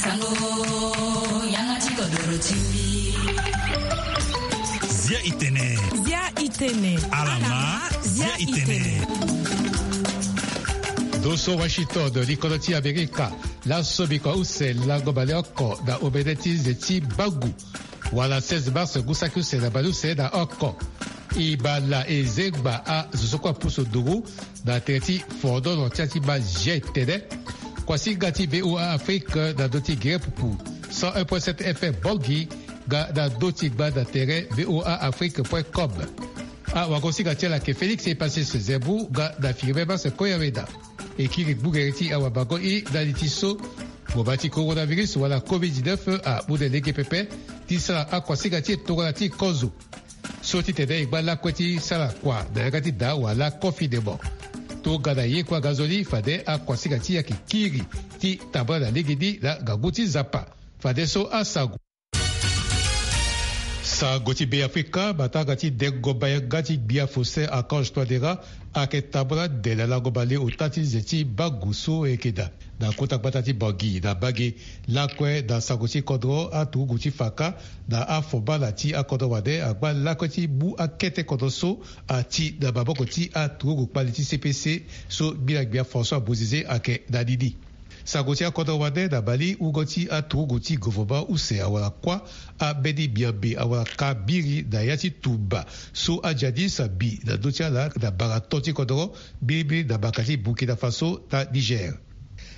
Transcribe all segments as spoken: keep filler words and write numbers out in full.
Sango, yanga ti kodoro ti mbi. Zia i tene. Zia i tene. Alama, zia i tene. Ndo so Washington, likodo ti Amerika. Laso bikua use lango baleoko na omene ti nze ti bagu. Wala seize mars ngu saki use na baleuse na oko. E baa la e zengba azo so kue apusu nduru na tere ti fondoro ti ati ma zia e tene. Kuasinga ti VOA Afrique na ndö ti gere pupu cent un point sept F M Bangui, nga na ndö ti gba na tere VOA Afrique point com. Awagosinga ti ala ayeke Félix Epasis Zembu nga na Firmin Mars Koyaweda. E kiri gbugere ti awabango i na li ti so, ngonga ti coronavirus wala covid dix-neuf amu na lege pepe ti sara akuasinga ti e tongana ti kozo. So titene e ngba lakue ti sara kua na yanga ti daa wala confinement. Tongana ye kue angazoni fade akuasinga ti e ayeke kiri ti tambula na legeni na ngangu ti Nzapa. Fadeso asango. Sango ti Beafrika, matanga ti dengo bayanga ti gbia Faustin Archange Touadéra ayeke tambula nde na lango baleota ti nze ti bagu so e yeke daa na kota gbata ti Bangui na mbage. Lakue na sango ti kodro, aturugu ti Faka na afobala ti akodro wande angba lakue ti mu akete kodro so ati na maboko ti aturugu kpali ti C P C so gbia gbia François Bozizé ayeke na ni ni. Sango ti akodro wande na Mali, wungo ti aturugu ti governement use awara kuâ, ambeni miambe awara ka biri na ya ti tumba so ajihadiste abi na ndö ti ala na baraton ti kodro, mbirimbiri na baka ti Burkina Faso na Niger.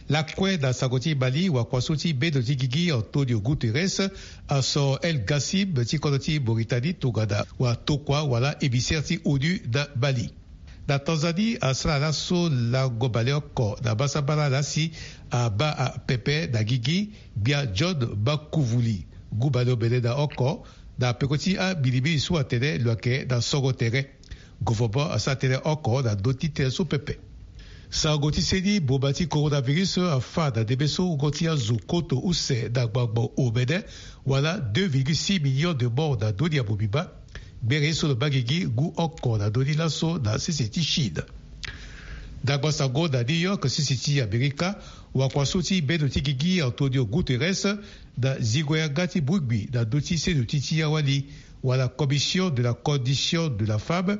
Lakue na sango ti Mali, wakua so ti bendo ti gigi Antonio Guterres asoro El Gassim ti kodro ti Mauritanie tongana watokua wala émissaire ti ONU na Mali. Na Tanzanie, asara laso lango baleoko na basambala na si abaa apepe na gigi gbia John Makuvuli, ngu baleomene na oko, na peko ti ambilimbili so atene lo yeke na songo tere. Governement asara tënë oko na ndö ti tënë so pepe. Sango ti seni, mboma ti coronavirus afa na ndembe so wungo ti azo koto use na gbangbo omene, wala deux virgule six millions de morts na ndö ni ya mobimba. Gbere ye so lo baa gigi ngu oko na ndö ni laso na sese ti Chine. Ndangba sango na New York, sese ti Amerika, wakua so ti bendo ti gigi Antonio Guterres na zingo yanga ti bongbi na ndö ti seno ti ti awali, wala Commission de la Condition de la Femme,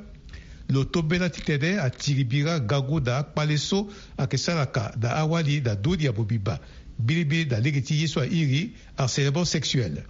lo tombela titene atiri bira ngangu na akpale so ayeke saraka na awali na ndö ni ya mobimba, mbirimbiri na lege ti ye so airi harcèlement sexuel.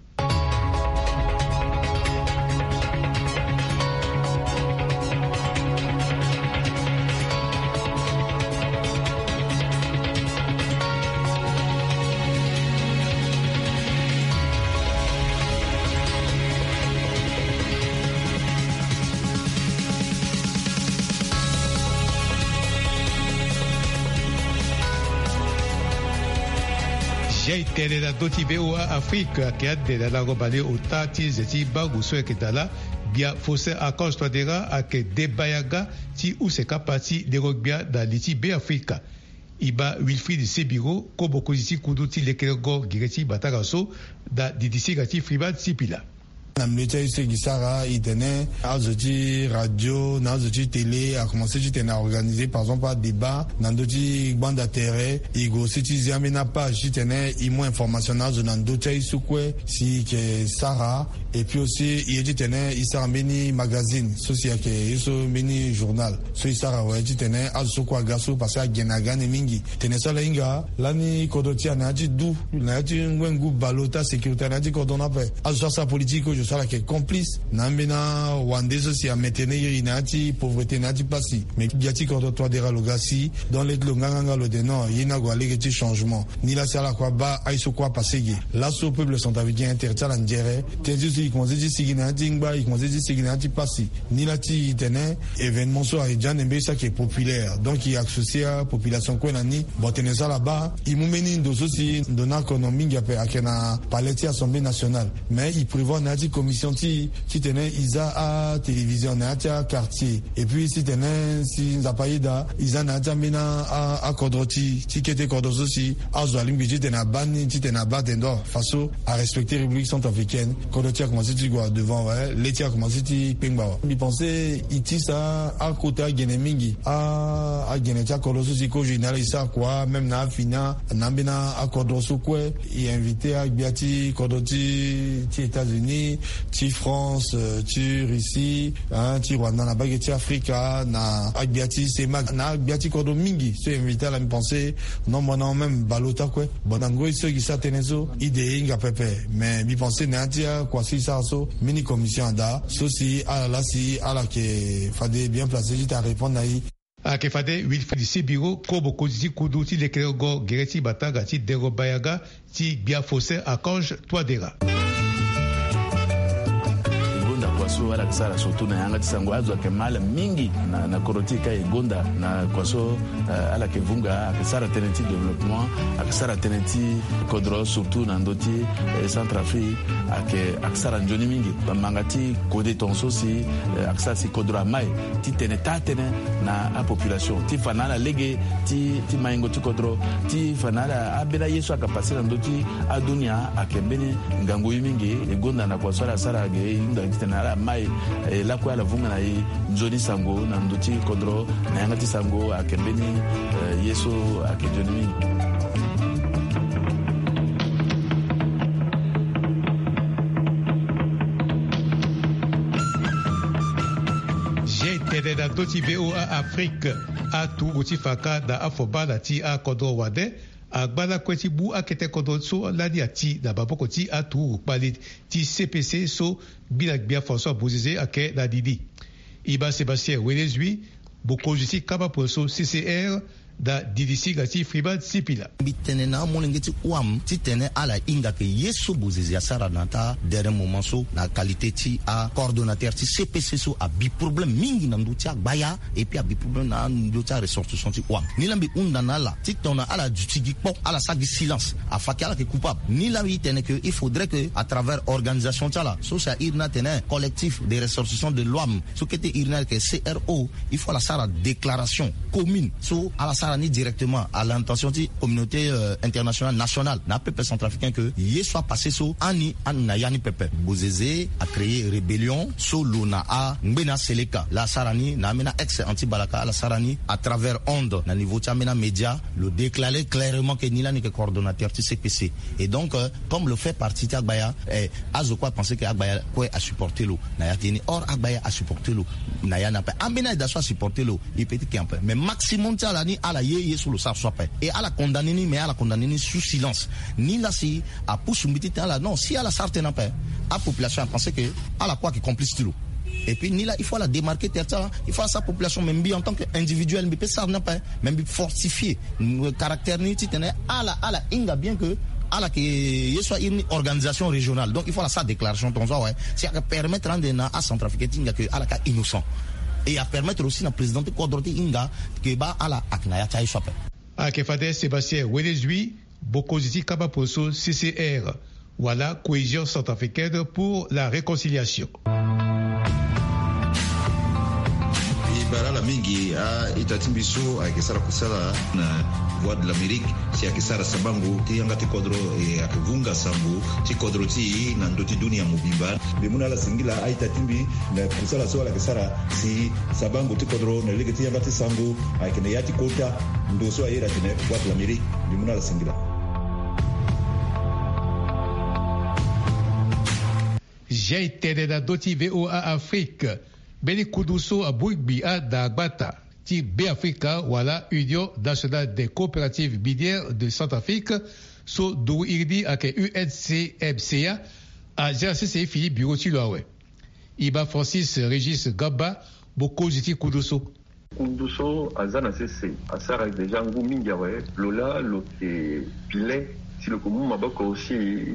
Zia e tene na ndö ti VOA Afrique, ayeke ande na lango baleota ti nze ti bangu so ayeke daa laa, gbia Faustin Archange Touadéra ayeke deba yanga ti use kapa ti lengo-gbia na li ti Beafrika. E baa Wilfried Sebiro, ko mokonzi ti kundu ti lekerengo gere ti matanga so, na didisinga ti Freeman Sipila. Na milieu ti aye so e gi sara, e tene azo ti radio na azo ti télé akomanse titene a organiser par exemple adébat na ndö ti gbanda tere. E gue aussi ti zi ambeni apage titene e mu information na azo na ndö ti aye so kue si e yeke sara. Et puis aussi e ye titene e sara mbeni magazine so si ayeke ye so mbeni journal so e sara awe titene azo so kue aga so parce que agene aga ande mingi. Tene so ala hinga lani kodro ti e na ya ti du, na ya ti ngbengu baleota, sécurité na ya ti kodro ni ape. Azo so asara politique kozoni so ala yeke complice na ambeni awande so si a maintenir iri na ya ti pauvreté, na ya ti pasi. Mais gbia ti kodro Touadéra lo ga si, donc le ti lo nganganga lo de non, ye ni ague na lege ti changement. Ni laa si ala kue abaa aye so kue apase ge. Laso peuple centrafricain, tere ti ala nzere. Tënë ti so e komanse ti sigi na ya ti ngba, e komanse ti sigi na ya ti pasi. Ni laa ti e tene événement so ayeke ande mbeni so ayeke populaire, donc e associer apopulation kue na ni. Bon, tene so ala baa, e mu mbeni ndo so si ndo ni akono mingi ape ayeke na palais ti Assemblée nationale. Mais e prévoir na ya ti commission ti e titene e za atélévision na ya ti aquartier. Et puis titene si Nzapa ayeda, e za na ya ti ambeni a, akodro ti, ti kete kodro so si azo alingbi titene abaa ni, titene abaa tene donc façon a respecter République centrafricaine. Kodro ti Commencé ti gue devant, ouais. Lê ti akomanse ti kpengba wa. Mbi pensé i ti sa akota agene mingi. A agene ti akodro so si kozo e na ala e sara kua même na afina na ambeni akodro so kue. E invité agbia ti kodro ti ti États-Unis, ti France, euh, ti Russie, hein, ti Rwanda na bage ti Afrika, na agbia ti CEMAC, na agbia ti kodro mingi so e invité ala. Mbi pensé nombre na même baleota kue. Bon, na ngoi so e gi sara tënë so, e de e hinga pepe. Mais mbi pensé na ya ti akua so e sara so, mbeni commission ada so si ala laa si ala yeke fade bien placé ti ta répondre na e. Ayeke fade Wilfried Sibiro, kobo konzi ti kundu ti lekerengo gere ti matanga ti Dengo Bayaga, ti gbia Faustin Archange Touadéra. E gonda kua so ala yeke sara surtout na yanga ti sango, azo ayeke ma ala mingi na, na kodro ti e ka e gonda na kua so, eh, ala yeke vunga, ayeke sara tënë ti développement, ayeke sara tënë ti kodro, surtout na ndö ti, eh, Centrafrique, ayeke, ayeke sara nzoni mingi. Bamanga ti kode tongaso si, eh, ayeke sara si kodro amai ti tene taa tënë na apopulation, ti fa na ala lege ti, ti maingo ti kodro, ti fa na ala ambeni aye so ayeke passé na ndö ti adunia, ayeke mbeni ngangu ye mingi. E gonda na kua so ala sara ge, e hunda titene ala mai, e lakue ala vunga na e nzoni sango na ndö ti kodro, na yanga ti sango ayeke mbeni, eh, ye so ayeke nzoni mingi. Zia e tene na ndö ti V O A Afrique. Aturugu ti fa ka na afobana ti akodro wande angba lakue ti mu akete kodro so lani ati na maboko ti aturugu kpali ti C P C so gbi na gbia François Bozizé ayeke na ni ni. E ma Sébastien Wenezui, mokonzi ti kamba pue so C C R, na didi singa ti Freeman Sipila. Mbi tene na amolenge ti O A M titene ala hinga ke ye so Bozizé asara na taa dernier moment so na qualité ti acoordonnateur ti C P C so abi problème mingi na ndö ti agbaya, et puis abi problème na ndö ti aressortissant ti O A M. Ni laa mbi hunda na ala titene ala duti gi kpo, ala sara gi silence. Afa ke ala yeke coupable. Ni laa mbi tene ke il faudrait que à travers organisation ti ala so si a iri ni atene Collectif des Ressortissants de l'O A M, so kete iri ni ayeke C R O, il faut ala sara déclaration commune so ala sara ni directement à l'intention ti communauté, euh, internationale, nationale, na apepe centrafricain, ke ye so apassé so, ani, ani na ya ni pepe. Bozizé acréé rébellion so lo na angbene aseleka laa asara ni, na ambeni a-ex anti-Balaka, ala sara ni à travers onde na niveau ti ambeni amédia, lo déclaré clairement ke ni lani yeke coordonnateur ti C P C. Et donc, euh, comme lo fait partie ti agbaya, eh, azo kue apensé ke agbaya kue asupporté lo na ya ti ni. Or agbaya asupporté lo na ya ni ape. Ambeni ayeda so asupporté lo, e peut ti ke ape. Mais maximum ti ala ni, ala ye ye so lo sara so ape. Et ala condamné ni, mais ala condamné ni sous silence. Ni laa si apusu mbi titene ala, non, si ala sara tënë ape, apopulation apensé ke ala kue ayeke complice ti lo. Et puis ni laa il faut ala démarquer terre ti ala, il faut ala sara population, mais mbi en tant que individuel mbi peut sara ni ape, mais mbi fortifier, mm, caractère ni titene ala, ala hinga bien ke ala yeke ye so a iri ni organisation régionale. Donc il faut ala sara déclaration tongaso awe, si ayeke permettre ande na acentrafricain ti hinga ke ala yeke a-innocent. Et apermettre aussi na président ti kodro ti hinga ke baa ala ayeke na ya ti aye so ape. Ayeke fade Sébastien Wenezui, mokonzi ti kamba pue so C C R, wala Cohésion Centrafricaine pour la Réconciliation. E bara ala mingi a-ita ti mbi so ayeke sara kusala na Voix de l'Amérique, si ayeke sara sabango ti yanga ti kodro, e ayeke vunga sango ti kodro ti e na ndö ti dunia mobimba. Mbi mu na ala singila a-ita ti mbi na kusala so ala yeke sara si sabango ti kodro na lege ti yanga ti sango ayeke na ya ti kota ndo so a iri atene Voix de l'Amérique. Mbi mu na ala singila. Zia e tene na ndö ti V O A Afrique. Mbeni kundu so amu ngbi anda gbata ti Beafrika wala Union Nationale des Coopératives Minières de Centrafrique, so nduru iri ni ayeke U N C M C A, azia na sese fini bureau ti lo awe. E ma Francis Régis Gamba, mokonzi ti kundu so. Kundu so aza na sese asara déjà ngu mingi awe. Lo laa lo yeke pile si lo yeke mu maboko aussi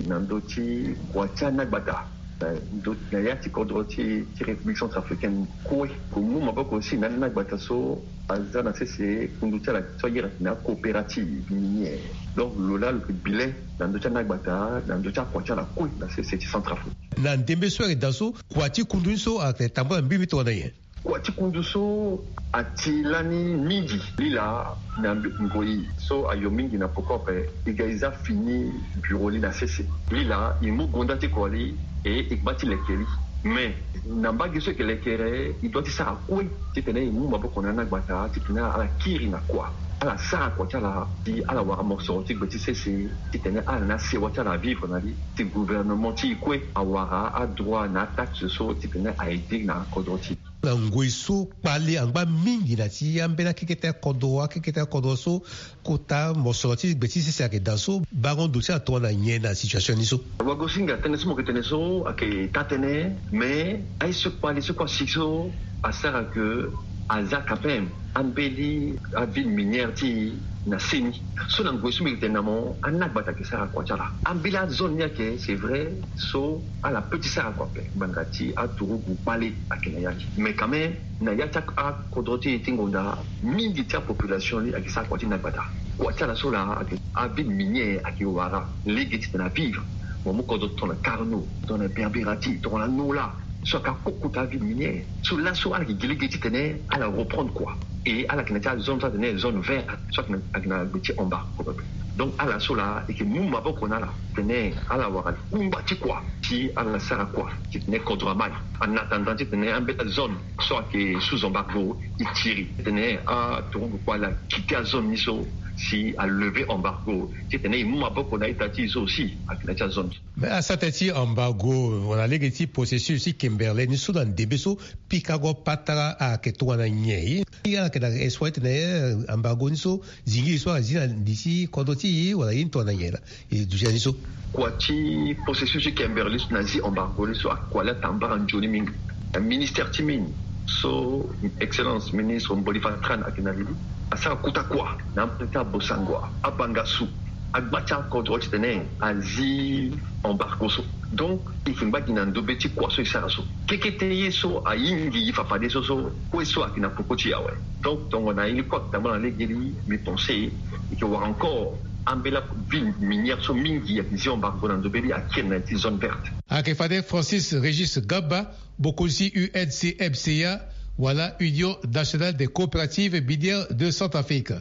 na ndö ti kua ti anagbata na ndö, na ya ti kodro ti, ti République centrafricaine kue. Lo yeke mu maboko aussi na anagbata so aza na sese kundu ti ala so a iri atene acoopérative minière. Donc lo laa lo yeke pile na ndö ti anagbata na ndö ti akua ti ala kue na sese ti Centrafrique. Na ndembe so ayeke daa so, kua ti kundu ni so ayeke tambula na mbirimbiri tongana nyen? Kua ti kundu so ati lani mingi lila na ngoi so ayo mingi na poko ape. E ga e za fini bureau li na sese lila, e mu gonda ti kua li e e gba ti leke li. Mais na mbage so e ke lekere, e dua ti sara kue titene e mu maboko na ana gbata titene ala kiri na kua, ala sara kua ti ala, si ala wara mosoro ti gbe ti sese titene ala na sewa ti ala avivre na li, si gouvernement ti e kue awara adroit na ataxe so titene a aider na kodro ti e. Na ngoi so kpale angba mingi na ti ambeni akeketa kodro, akeketa kodro so kota mosoro ti gbe ti sese ayeke daa so, bango ndo ti ala tongana nyen na situation ni so? Wagosinga, tënë so mo yeke tene so ayeke taa tënë, mais aye so kpale so kue asi so asara ke aza quand même ambeni aville minière ti e na seni. So na ngoi so mbi yeke tene na mo, ana gbata ayeke sara kua ti ala. Ambeni azone ni ayeke, c'est vrai, so ala peut ti sara kua ape ngbanga ti aturugu kpale ayeke na ya ni. Mais quand même, na ya ti akodro ti e ti ngonda, mingi ti apopulation ni ayeke sara kua ti na gbata. Kua ti ala so laa ayeke aville minière ayeke wara lege titene avivre. Mo mu kodro tongana Carnot, tongana Berbérati, tongana Nola, so ayeke akokota aville minière. So laso ala yeke gi lege titene ala reprendre kua. Et ala yeke na ti azone so atene zone verte, so ayeke na, ayeke na gbe ti embargo. Donc ala so laa e yeke mu maboko na ala titene ala wara kungba ti kua si ala sara kua titene kodro amai. En attendant titene ambeni azone so ayeke sous embargo e tiri, titene aturugu kpale akite azone ni so, si a lever embargo, titene e mu maboko na ita ti e so aussi ayeke na ti azone. Mais asara tënë ti embargo wala lege ti processus ti Kimberley ni so na ndembe so, pikango patara ayeke tongana nyen? Ye ala yeke na espoir titene, eh, embargo ni so, zingi e so azi na li ti kodro ti e wala ye ni tongana nyen laa? E duti na ni so. Kua ti processus ti Kimberley so na zi embargo ni so, akua laa atambara nzoni mingi. Ministère ti mine so Excellence ministre Mboli Vatran ayeke na li, asara kota kua na ambeni ti abosangwa, abangasu, agba ti akodro titene azi embargo so. Donc e yeke ngba gi na ndobe ti kua so e sara so. Kekete ye so ayingi e fafadeso so, kue so ayeke na poko ti e awe. Donc tongana ye ni kue ayeke tambula na lege ni, mbi pense e yeke wara encore ambeni aville minière so mingi ayeke zi embargo na ndobe ni akiri na ya ti zone verte. Ayeke fade Francis Régis Gaba, bokonzi U N C M C A, wala Union Nationale des Coopératives Minières de Centrafrique.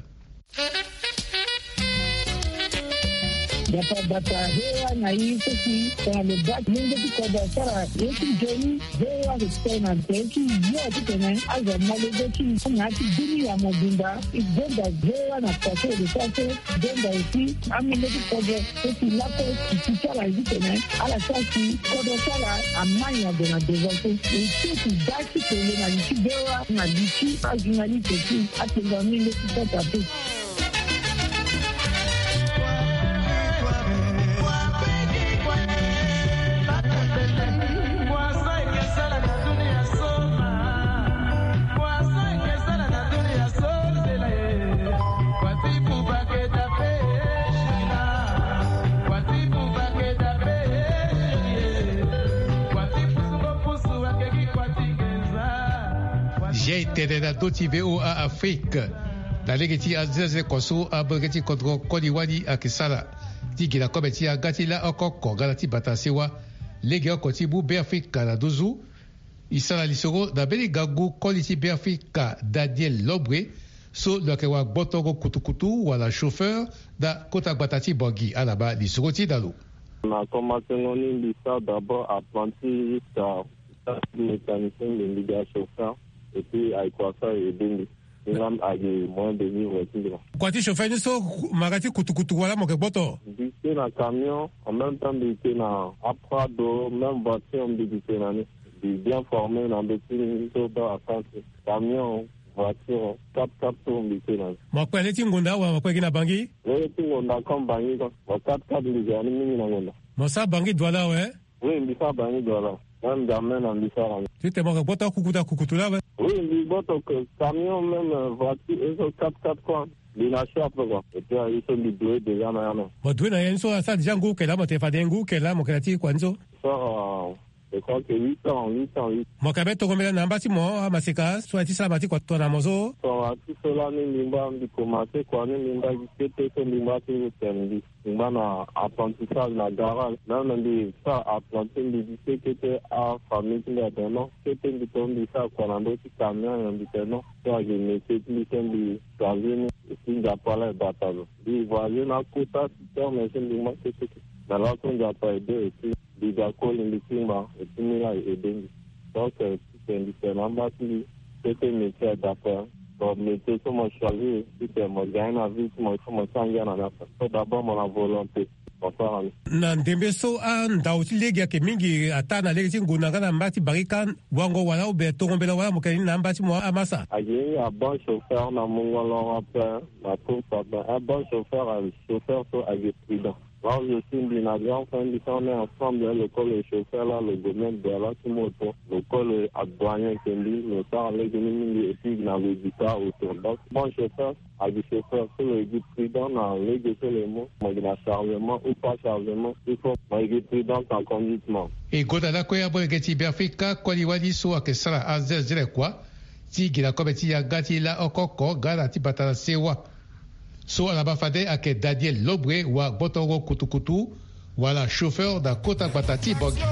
Gbata gbata, V O A na e so si tongana lo baa molenge ti kodro asara ye ti nzoni, V O A ayeke tene na tere ti yo titene azo molenge ti e na ya ti dunia mobimba. E gonda V O A na kua so e yeke sara so, e gonda aussi amolenge ti kodro so si lakue e ti ti ala ye titene ala sara si kodro ti ala amai na gue na devant so. E ti e ti baa ti tene na li ti V O A na li ti ajournaliste ti atengua mingi ti Centrafrique. Zia e tene na ndö ti V O A Afrique. Na lege ti aziaze kua so amolenge ti kodro koli wani ayeke sara ti gi na kobe ti aga ti laoko kongala ti bata sewa. Lege oko ti mu Beafrika na nduzu. E sara lisoro na mbeni ngangu koli ti Beafrika Daniel Lobre, so lo yeke wara gbotongo kutukutu wala chauffeur na kota gbata ti Bangui. Ala ma lisoro ti na lo. Na komansengo ni mbi sara d'abord apprenti jusqu'à mécanicien, mbi mbi ga chauffeur. Et puis ayeke wasa e aidé mbi. Ni la ayeke moyen de vivre ti mbi la. Kua ti chauffeur ni so, mara ti kutukutu wala mo yeke gboto? Mbi te na camion, en même temps mbi te na aprado, même voiture mbi te na ni. Mbi bien formé na ndö ti ni so baa attente. Camion, voiture, quatre-quatre tours mbi te na ni. Mo kpe na le ti ngonda wala mo kpe gi na Bangui? Le ti ngonda comme Bangui quoi. Mo quatre-quatre mbi ga ni mingi na ngonda. Mo sara Bangui Douala awe? Oui, mbi sara Bangui Douala. Même jamais na mbi sara ni. Titene mo yeke gboto akukutu akukutu laa awe? Oui, mbi gboto que camion, même, euh, voiture, et so quatre-quatre quoi. Mbi na chape quoi. Et puis aye so mbi doit déjà na ya même. Mo doit na ya ni so asara déjà ngu eke laa, mo tene fade ngu eke laa mo yeke na ti kua ni so? So, euh, Ok, huit ans, huit ans, huit. Mo ka be tongo mbela na mba ti mo amaseka so aye ti sara ma ti kua tongana mo so. Tongana ti so lani mbi ngba mbi komanse kua ni mbi ngba gi kete so mbi ngba ti ngu tene mbi ngba na apprentissage na garage. Même mbi sara apprenti mbi gi kete kete afamille ti mbi atene non. Kete mbi to mbi sara kua na ndö ti camion nyen mbi tene non. So agi métier ti mbi so mbi choisir ni. Et puis Nzapa la e bata lo. Mbi voyager na kota ti terme so mbi ngba kete kete. Mais laso Nzapa e de et puis mbi ga koli mbi tingba et puis mbi la e aide mbi. Donc euh, ti tene mbi tene na mba ti mbi kete métier adapté. Donc métier so mo choisir ti tene mo gagne na vie ti mo il faut mo ti angia na ni ape. So d'abord mo na volonté. Mo sara ni. Na ndembe so andau ti lege ayeke mingi ataa na lege ti ngonda nga na mba ti barika wango wala obe tongo mbela wala mo yeke ni na mba ti mo amasa. Agi mingi abon chauffeur na mungo loro ape. Na course ape un bon chauffeur, un chauffeur so agi prudent. Là où je suis mbi na grand frère mbi so on est ensemble hein, le col le chauffeur là le gomène de là ti moto le col adouane ke mbi le sara lege ni mingi et puis na le guitare autour donc bon chauffeur agi chauffeur so le gi prudent na lege so le mo mo gi na chargement ou pas chargement il faut mo gi prudent en conduite mo. E gonda lakue amolenge ti Beafrika koli wali so ayeke sara azezele kua ti gi na kobe ti yanga ti laoko oko nga na ti bata na sewa. So ala ma fade ayeke Daniel Lobre wa gbotongo kutukutu wala chauffeur na kota gbata ti Bangui.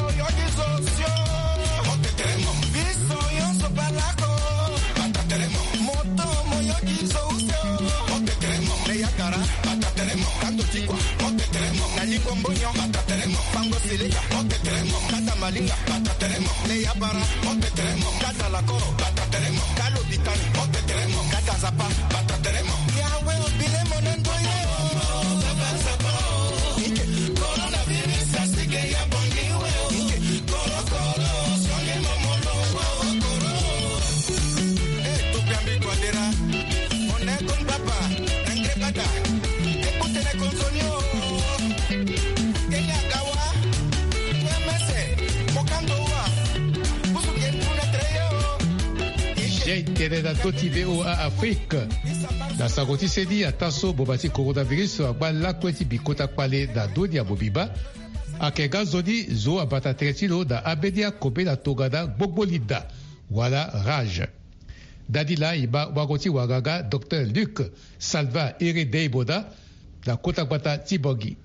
Jei tene na ndö ti V O A Afrique. Na sango ti seni ataa so boma ti coronavirus angba lakue ti bi kota kpale na ndö ni ya mobimba. Ayeke nga nzoni zo abata tere ti lo na ambeni akobela tongana gbogbo linda wala rage. Ndani laa e ma wango ti wanga nga docteur Luc Salva Ere Deimona na kota gbata ti Bangui.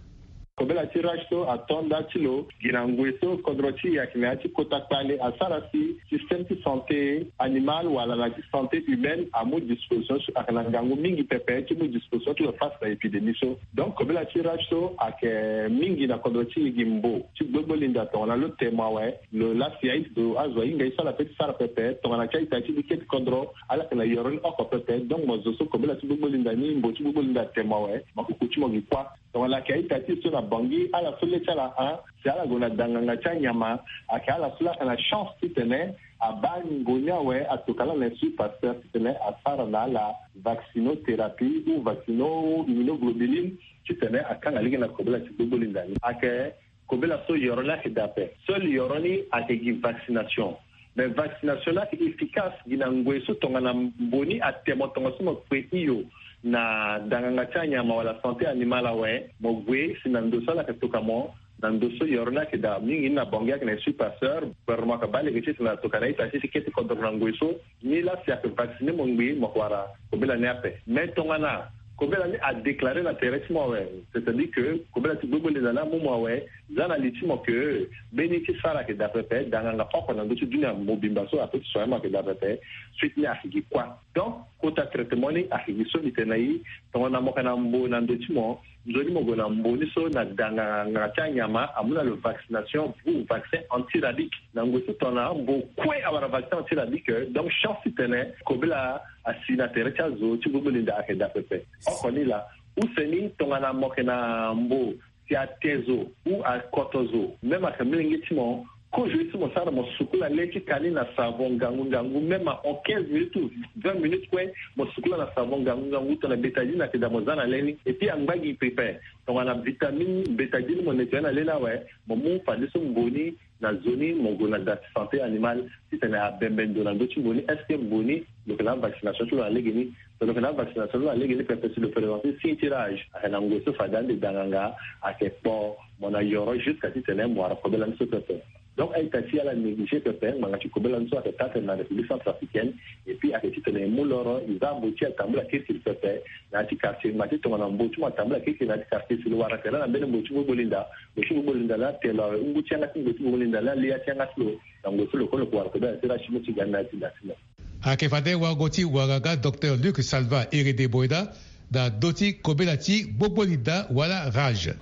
Kobela ti rage so ato nda ti lo gi na ngoi so kodro ti e ayeke na ya ti kota kpale asara si système ti santé animal wala na ti santé humaine amu disposition so ayeke na ngangu mingi pepe ti mu disposition ti lo face na épidémie so. Donc kobela ti rage so ayeke mingi na kodro ti e gi mbo ti gbogbo linda tongana lo temo awe lo lasi aye ti zo azo ahinga ye so ala pe ti sara pepe tongana ti a-ita ti bike ti kodro ala yeke na yoro ni oko pepe. Donc mo zo so kobela ti gbogbo linda ni mbo ti gbogbo linda atemo awe mo kuku ti mo gi kuâ. Tongana ayeke a-ita ti e so na Bangui ala so le ti ala hon si ala gue na danganga ti anyama. Ayeke ala so laa ayeke na chance titene abaa ngingo ni awe atoka laa na Institut Pasteur titene asara na ala vaccinothérapie ou vaccino immunoglobuline titene akanga lege na kobela ti gbogbo linda ni. Ayeke kobela so yoro ni ayeke daa ape. Seul yoro ni ayeke gi vaccination. Mais vaccination ni ayeke efficace gi na ngoi so tongana mbo ni atemo tongaso mo kpe hio na danganga ti anyama wala santé animal awe mo gue si na ndo so ala yeke toka mo na ndo so yoro ni ayeke daa mingi ni na Bangui ayeke na Institut Pasteur. Gouvernement ayeke baa lege ti tena toka na ita ti si kete kodro na ngoi so. Ni laa si ayeke vacciner mo ngbii mo yeke wara kobela ni ape. Mais tongana kobela ni adéclarer na tere ti mo awe, c'est-à-dire que kobela ti gbogbo linda ni amu mo awe, za na li ti mo que mbeni ti sara ayeke daa pepe, danganga oko na ndö ti dunia mobimba so ape ti soigner mo ayeke daa pepe. Suite ni ayeke gi kuâ. Donc kota traitement ni ayeke gi so mbi tene na e. Tongana mo yeke na mbo na ndö ti mo, nzoni mo gue na mbo ni so na danganga ti anyama amu na lo vaccination ou vaccin antirabique. Na ngoi so tongana mbo kue awara vaccin antirabique, donc chance titene kobela asi na tere ti azo ti gbogbo linda ayeke daa pepe. Oko ni laa, use ni tongana mo yeke na mbo si ate zo ou akoto zo, même ayeke molenge ti mo, kozo ye so mo sara mo sukula le ti ka ni na savon ngangu ngangu, même ahon quinze minutes ou vingt minutes kue mo sukula na savon ngangu ngangu tongana bétadine ayeke daa mo za na le ni. Et puis angba gi pepe. Tongana vitamine bétadine mo nettoyer na le ni awe, mo mu fadeso mbo ni na zo ni mo gue na da ti santé animal titene abembe ndo na ndö ti mbo ni. Est-ce que mbo ni lo yeke na avaccination ti lo na lege ni? So lo yeke na avaccination ti lo na lege ni pepe si lo présenter signe ti rage ayeke na ngoi so fade ande danganga ayeke kpo mo na yoro jusqu'à titene mo wara kobela ni so pepe. Donc a-ita ti ala négligé pepe ngbanga ti kobela ni so ayeke taa tene na République centrafricaine. Et puis ayeke titene e mu loro e za mbo ti atambula kirikiri pepe. Na ya ti quartier ma ti tongana mbo ti mo atambula kirikiri na ya ti quartier si lo wara tene na mbeni mbo ti gbogbo linda. Mbo ti gbogbo linda la telo awe ngu ti yanga ti mbo ti gbogbo linda la le ya ti yanga ti lo. Na ngu so lo kue lo ko wara kobela ti rachi mo ti ga ni na ya ti da ti mo. Ayeke fade wago ti wara ga docteur Luc Salva Herede Boyda na do ti kobela ti gbogbo linda wala rage.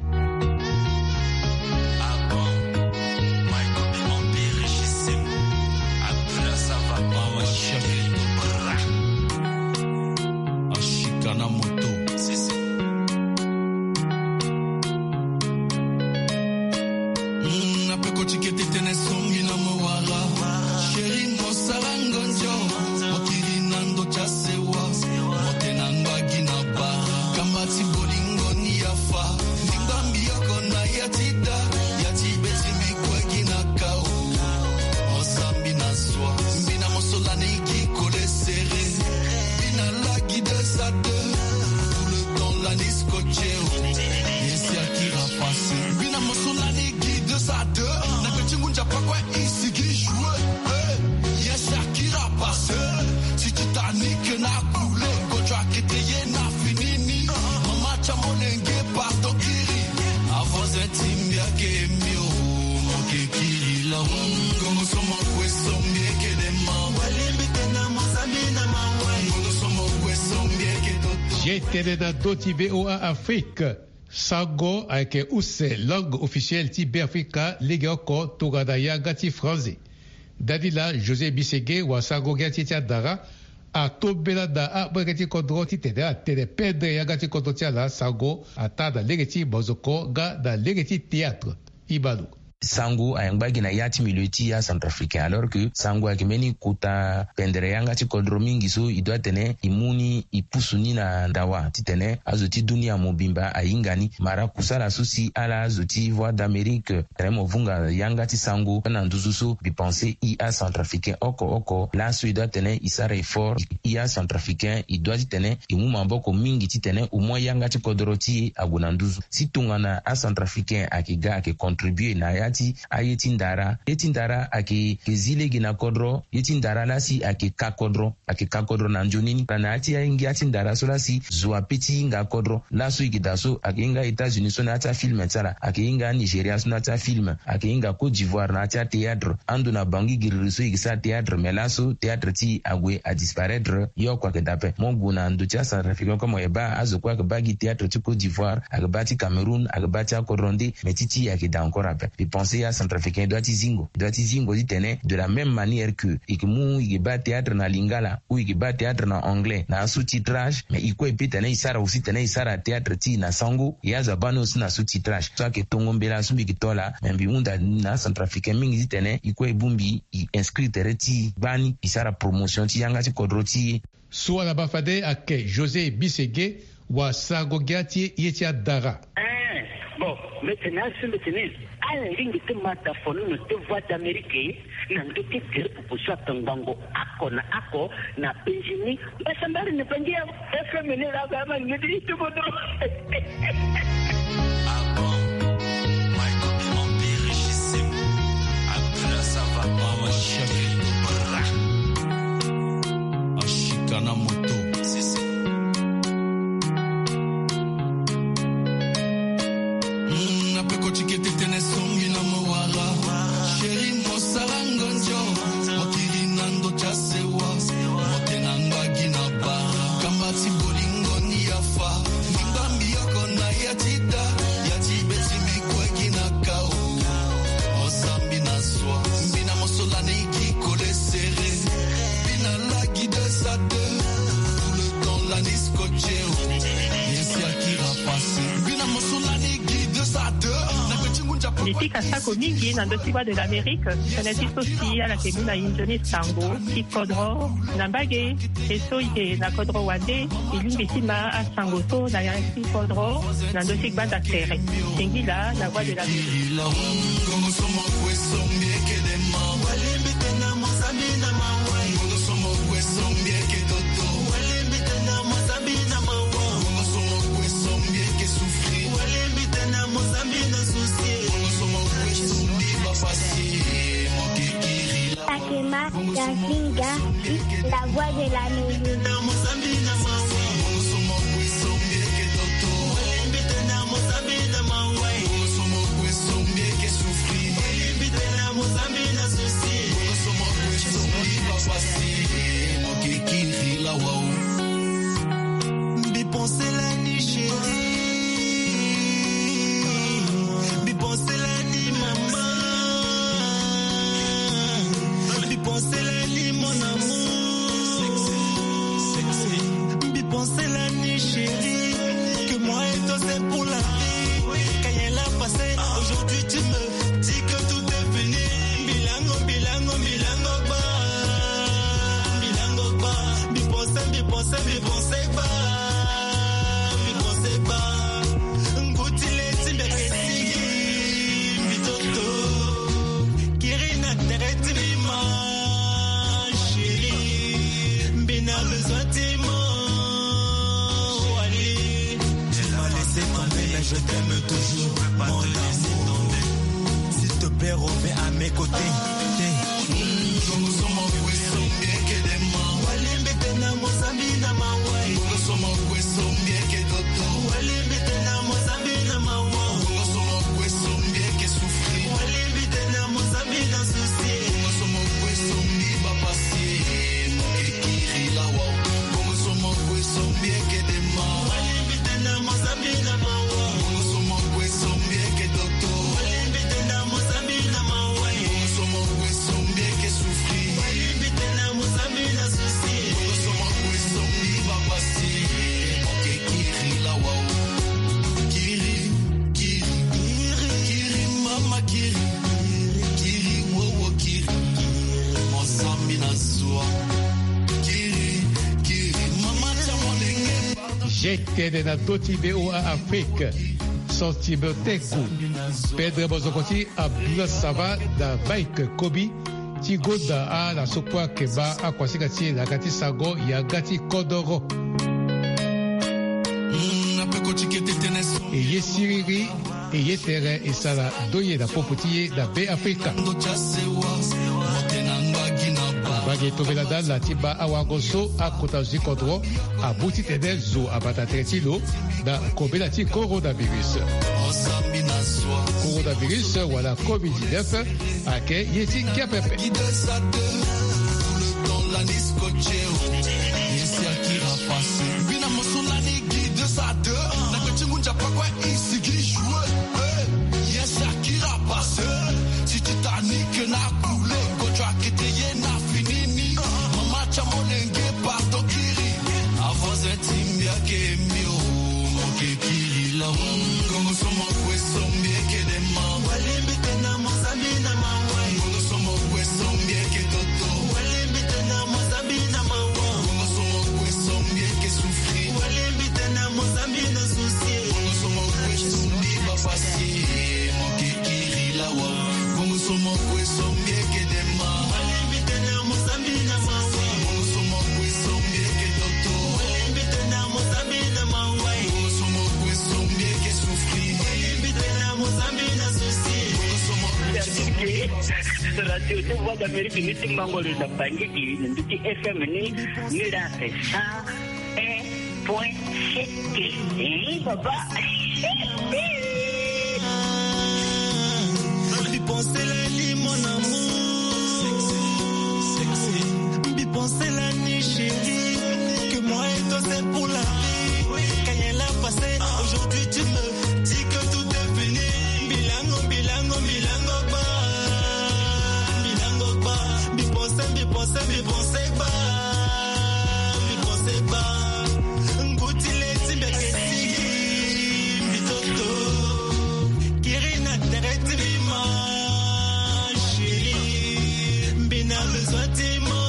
Chéri, mo sara ngonzo, mo kiri na ndo ti asewa, mo te na ngbagi na bara. Kamba ti bolingo ni afa, ni ngbambi oko na ya ti da, ya ti be ti mbi kue gi na kao. Mo sambi na soi, mbi na mo so lani gi kole serré, mbi na lagi deux à deux, tout le temps lani scotché, oh. Ye si akira passé, mbi na mo so lani gi deux à deux, na gbe ti ngu nzapa kue. Isi gi joué, eh, ye si akira passé. Si Titanic na coulé, kocho akete ye na fini ni. Mama ti amolenge pardon kiri. Avance ti mbi ake mbi o, mo ke kiri la. Ngongo so mo kue so mbi eke de ma. Walembi tena mo sambi na ma wai. Ngongo so mo kue so mbi eke toto. Ye tene na do ti V O A Afrique. Sango ayeke use langue officielle ti Beafrika legeoko tongana yanga ti franzi. Dadi laa José Bisege wasango gi ya ti e ti adara atombela na amolenge ti kodro titene atene pendre yanga ti kodro ti ala sango ataa na lege ti mozoko nga na lege ti théâtre. Ibalu. Sango ayangba gi na ya ti milieu ti acentrafricain alors que sango ayeke mbeni kota pendere yanga ti kodro mingi so e doit tene e mu ni e pusu ni na ndawa titene azo ti dunia mobimba ahinga ni. Mara kusala so si ala azo ti Voix d'Amérique tene mo vunga yanga ti sango na nduzu so mbi pense e acentrafricain oko oko laso e doit tene e sara effort. E acentrafricain e doit titene e mu maboko mingi titene au moins yanga ti kodro ti e ague na nduzu. Si tongana acentrafricain ayeke ga ayeke contribuer na ya ti aye ti ndara. Ye ti ndara ayeke zi lege na kodro. Ye ti ndara lasi ayeke ka kodro, ayeke ka kodro na nzoni ni. Na ya ti aye ngia ti ndara so lasi zo ape ti hinga kodro. Laso e yeke daa so ayeke hinga États-Unis so na ya ti afilm ti ala, ayeke hinga Nigeria so na ya ti afilm, ayeke hinga Côte d'Ivoire na ya ti athéâtre. Ando na Bangui giriri so e yeke sara théâtre, mais laso théâtre ti e ague adisparaître. Yo oko ayeke daa ape. Mo gue na ndo ti acentrafricain kue mo yeke baa azo kue ayeke baa gi théâtre ti Côte d'Ivoire, ayeke baa ti Cameroun, ayeke baa ti akodro nde, mais ti ti e ayeke daa encore ape. Mbi pense acentrafricain e doit ti zingo, e doit ti zingo titene de la même manière que e yeke mu e yeke baa théâtre na lingala ou e yeke baa théâtre na anglais na asous-titrage, mais e kue e peut tene e sara aussi tene e sara théâtre ti e na sango. E azo abaa ni aussi na sous-titrage so ayeke tongo mbela so mbi yeke to laa, mais mbi hunda na acentrafricain mingi titene e kue e bongbi e inscrit tere ti e gbani e sara promotion ti yanga ti kodro ti e. So ala baa fade ayeke José Bisege wasango gi ya ti e ti adara. Eh, bon, mbi tene asi mbi tene ala lingbi ti mata fo ni na ti Voix d'Amérique na ndo ti tere pupu so atongbango oko na oko na penzi ni. Mbasambari ni penzi ya F M ni la ga ma ni ti ti kodro. Ah bon? My copie, mon pire, je sais. Abdullah, ça va pas, ma chérie. Ashika na moto. Mm, na peko ti kete tene songi na mo wara. Chéri, mo sara ngonzo. Mo kiri na ndo ti asewa. Mo te na ngbagi na bara. Kamba ti bolingo ni afa. Ni ngbambi oko na ya ti da. Ya ti be ti mbi kue gi na kao. Mo sambi na soi. Mbi na mo so lani gi kole serré. Mbi na lagi deux à deux. Tout le temps lani scotché, oh. Ye si akira passé. Mbi na mo so lani gi deux à deux. Na gbe ti ngu nzapa. Mbi pika sako mingi na ndo ti Voix de l'Amérique. Tënë ti so si ala yeke mu na e nzoni sango ti kodro na mbage. E so e yeke na kodro wande, e lingbi ti ma asango so na ya ti kodro na ndö ti gbanda tere. Singila na Voix de l'Amérique. Cléma Gazinga, la voix de la mélodie. Mbi pensé la ni chérie, mbi pensé la ni maman, mbi pensé la ni mon amour, mbi pensé la ni chérie, que moi et toi c'est pour la vie. Quand il a passé, aujourd'hui tu me dis que tout est fini. Mbi lango, mbi lango, mbi lango ba, mbi lango ba, mbi pensé, mbi pensé, mbi pensé ba, mbi pensé ba. Nguti le ti mbi ake sigi, mbi toto. Kiri na tere ti mbi ma chérie, mbi na besoin ti mo wali. Tu m'as laissé tomber, mais je t'aime toujours, mon amour. S'il te plaît, reviens à mes côtés. Jete na doti V O A Afrique. Santi boteku. Pedre bozoko ti Abdullah Sava da Mike Kobi ti goda ala so kue ayeke baa akuasinga ti e na yanga ti sango yanga ti kodoro. E ye siriri, e ye tere e sara ndoye na popo ti e na Be Afrika. Mbage tombela na ala ti baa awago so akota zo ti kodro abu titene zo abata tere ti lo na kobela ti coronavirus. Coronavirus wala covid dix-neuf ayeke ye ti ngia pepe. Titanic na coulé. Quand tu as quitté, yena fini ni. Mama, tu as mon linge, pardon, kiri. Avant un timbi ake mio, moke kiri la. Ngongo so mo kue so mbi eke dema. Walembe tena mo zambi na mawa. Ngongo so mo kue so mbi eke toto. Walembe tena mo zambi na mawa. Ngongo so mo kue so mbi eke souffrir. Walembe tena mo zambi na souci. Ngongo so mo kue so mbi ba pasi. Moke kiri lawa. Ngongo so mo kue so mbi eke dema. Walembe tena mo zambi na mawa. Ngongo so mo kue so mbi eke toto. Walembe tena mo zambi na mawa. Ngongo so mo kue so mbi eke souffrir. Walembe tena mo zambi na souci. Ngongo so mo kue so mbi eke... Radio ti Voix d'Amérique ni ti Mbangolo na Bangui, na nduti F M ni, ni la sa un point sept. Eh, papa. Mbi pensé la ni mon amour. Mbi pensé la ni chérie. Que moi et toi c'est pour la vie. Quand elle a passé, aujourd'hui tu me dis que tout est fini. Mbi lango, mbi lango, mbi lango ba. Mbi lango ba. Mbi pensé, mbi pensé, mbi pensé ba. Mbi pensé ba. Nguti le ti mbi ake sigi. Mbi toto. Kiri na tere ti mbi ma chérie. Mbi na besoin ti mo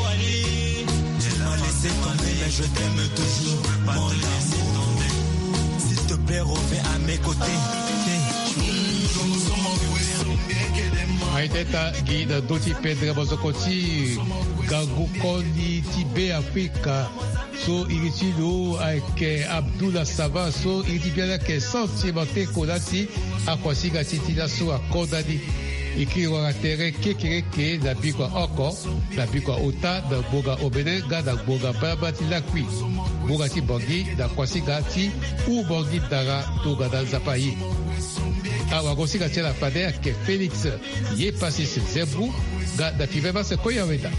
wali. Tu m'as laissé tomber, mais je t'aime toujours, mon amour. S'il te plaît, reviens à mes côtés. Aye teta gi na ndö ti pendre bozoko ti gangu koli ti Be Afrika. So iri ti lo ayeke Abdullah Sava, so iri ti biani ayeke Santi Mateko, la ti akuasinga ti ti laso akodani. E kiri wara tere kekereke na bikua oko, na bikua ota, na ngbonga omene nga na ngbonga balabala ti lakui, ngbonga ti Bangui na kuasinga ti huu Bangui dara tongana Nzapa aye. Awagosinga ti ala fade ayeke Félix Yepasis Zembu, nga na Fivemase Koyaweda.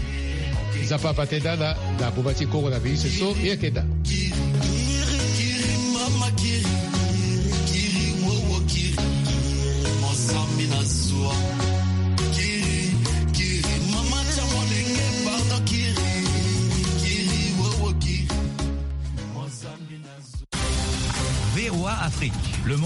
Nzapa abate na ala na boma ti Kongo na miniti so e yeke daa.